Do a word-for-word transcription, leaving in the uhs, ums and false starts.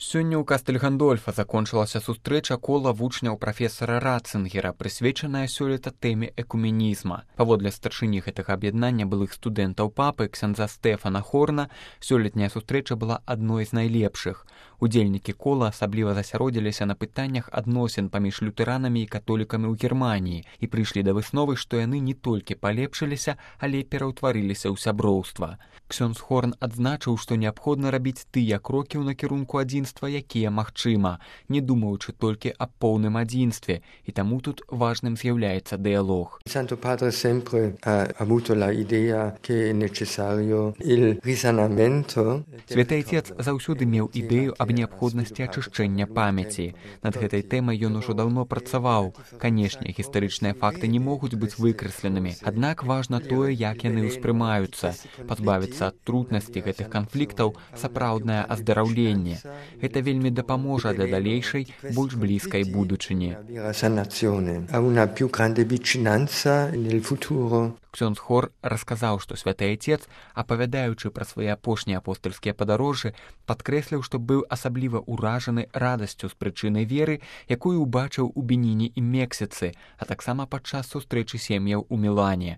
Сёння ў Кастэль-Гандольфа закончылася сустрэча кола вучняў прафесара Ратцынгера, прысвечаная сёлета тэме экуменізма. Паводле старшыні гэтага аб'яднання былых студэнтаў папы ксяндза Стэфана Хорна, сёлетняя сустрэча была адной з найлепшых. Удзельнікі кола асабліва засяродзіліся на пытаннях адносін паміж лютэранамі і католікамі ў Германіі і прыйшлі да высновы, што яны не толькі палепшыліся, але пераўтварыліся ў сяброўства. Ксёндз Хорн адзначыў, што неабходна рабіць тыя крокі ў накірунку адзінства, якія магчыма, не думаючы толькі аб поўным адзінстве, і таму тут важным з'яўляецца дыялог. Santo Padre sempre ha avuto la idea che è necessario il risanamento. Святы Отец заўсёды меў ідэю аб неабходнасці ачышчэння памяці. Над гэтай тэмай ён ужо даўно працаваў. Канешне, гістарычныя факты не могуць быць выкрэсленымі, аднак важна тое, як яны ўспрымаюцца. Пазбавіцца ад труднасці гэтых канфліктаў сапраўднае аздараўленне. Гэта вельмі дапаможа для далейшай, больш блізкай будучыні. Ксёндз Хор расказаў, што святы Отец, апавядаючы пра свае апошнія апостальскія падарожжы, падкрэсліў, што быў асабліва ўражаны радасцю з прычыны веры, якую ўбачыў у Беніне і Мексіцы, а таксама падчас сустрэчы сем'яў у Мілане.